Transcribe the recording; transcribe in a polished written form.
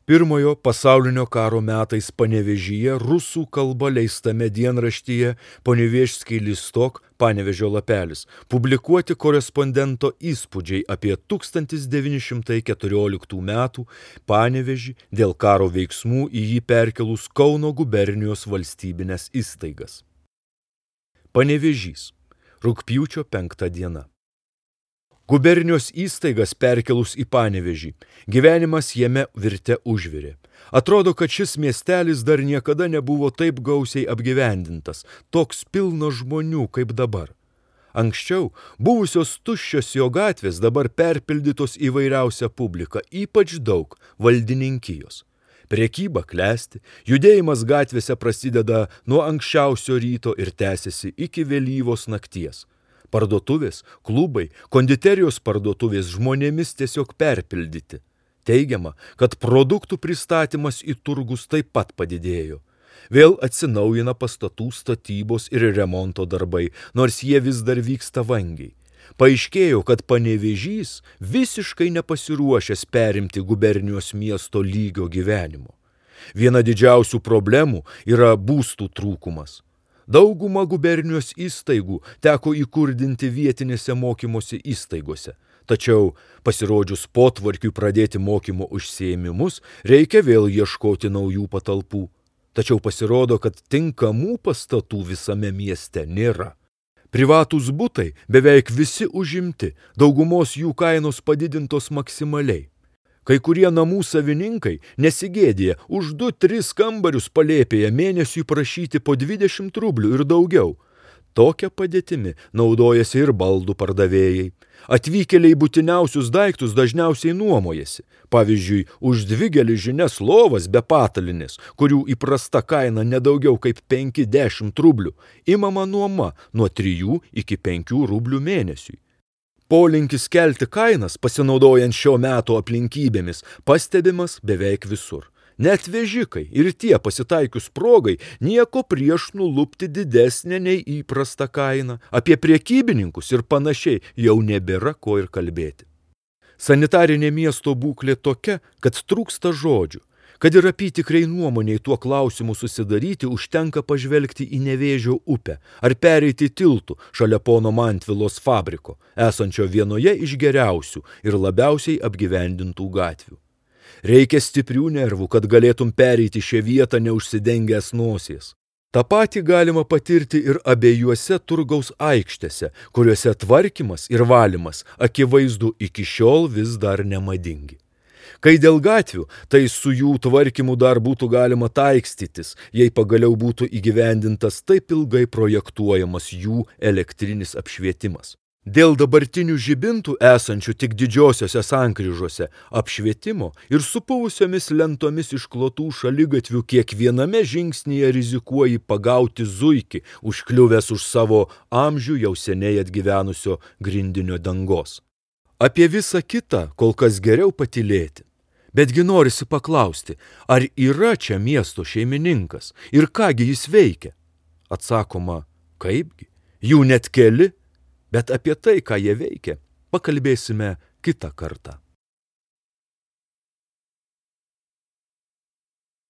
Pirmojo pasaulinio karo metais Panevėžyje rusų kalba leistame dienraštyje Ponevežskiai listok Panevėžio lapelis publikuoti korespondento įspūdžiai apie 1914 metų Panevėžį dėl karo veiksmų į jį perkelus Kauno gubernijos valstybines įstaigas. Panevėžys. Rugpjūčio 5 diena. Gubernijos įstaigas perkelus į Panevėžį, gyvenimas jame virte užvirė. Atrodo, kad šis miestelis dar niekada nebuvo taip gausiai apgyvendintas, toks pilnas žmonių kaip dabar. Anksčiau buvusios tuščios jo gatvės dabar perpildytos įvairiausia publika, ypač daug valdininkijos. Prekyba klesti, judėjimas gatvėse prasideda nuo anksčiausio ryto ir tęsiasi iki vėlyvos nakties. Parduotuvės, klubai, konditerijos parduotuvės žmonėmis tiesiog perpildyti. Teigiama, kad produktų pristatymas į turgus taip pat padidėjo. Vėl atsinaujina pastatų statybos ir remonto darbai, nors jie vis dar vyksta vangiai. Paaiškėjo, kad Panevėžys visiškai nepasiruošęs perimti gubernijos miesto lygio gyvenimo. Viena didžiausių problemų yra būstų trūkumas. Daugumą gubernijos įstaigų teko įkurdinti vietinėse mokymosi įstaigose. Tačiau pasirodžius potvarkiui pradėti mokymo užsiėmimus, reikia vėl ieškoti naujų patalpų. Tačiau pasirodo, kad tinkamų pastatų visame mieste nėra. Privatūs butai beveik visi užimti, daugumos jų kainos padidintos maksimaliai. Kai kurie namų savininkai nesigėdė už 2-3 kambarius palėpėje mėnesiui prašyti po 20 rublių ir daugiau. Tokia padėtimi naudojasi ir baldų pardavėjai. Atvykėliai būtiniausius daiktus dažniausiai nuomojasi. Pavyzdžiui, už 2 geležines lovas be patalinės, kurių įprasta kaina nedaugiau kaip 5-10 rublių, imama nuoma nuo 3 iki 5 rublių mėnesiui. Polinkis kelti kainas, pasinaudojant šio meto aplinkybėmis, pastebimas beveik visur. Net vežikai ir tie pasitaikius progai nieko prieš nulupti didesnę nei įprasta kaina. Apie prekybininkus ir panašiai jau nebėra ko ir kalbėti. Sanitarinė miesto būklė tokia, kad trūksta žodžių. Kad ir apytikriai nuomoniai tuo klausimu susidaryti, užtenka pažvelgti į Nevėžio upę ar pereiti tiltų šalia pono Mantvilos fabriko, esančio vienoje iš geriausių ir labiausiai apgyvendintų gatvių. Reikia stiprių nervų, kad galėtum pereiti šią vietą neužsidengęs nosies. Ta patį galima patirti ir abiejuose turgaus aikštėse, kuriuose tvarkymas ir valymas akivaizdu iki šiol vis dar nemadingi. Kai dėl gatvių, tai su jų tvarkymu dar būtų galima taikstytis, jei pagaliau būtų įgyvendintas taip ilgai projektuojamas jų elektrinis apšvietimas. Dėl dabartinių žibintų esančių tik didžiosiose sankryžose apšvietimo ir supuvusiomis lentomis išklotų šaligatvių kiekviename žingsnyje rizikuoji pagauti zuikį, užkliuvęs už savo amžių jau seniai atgyvenusio grindinio dangos. Apie visą kitą kol kas geriau patylėti. Betgi norisi paklausti, ar yra čia miesto šeimininkas ir kągi jis veikia? Atsakoma, kaipgi, jų net keli, bet apie tai, ką jie veikia, pakalbėsime kitą kartą.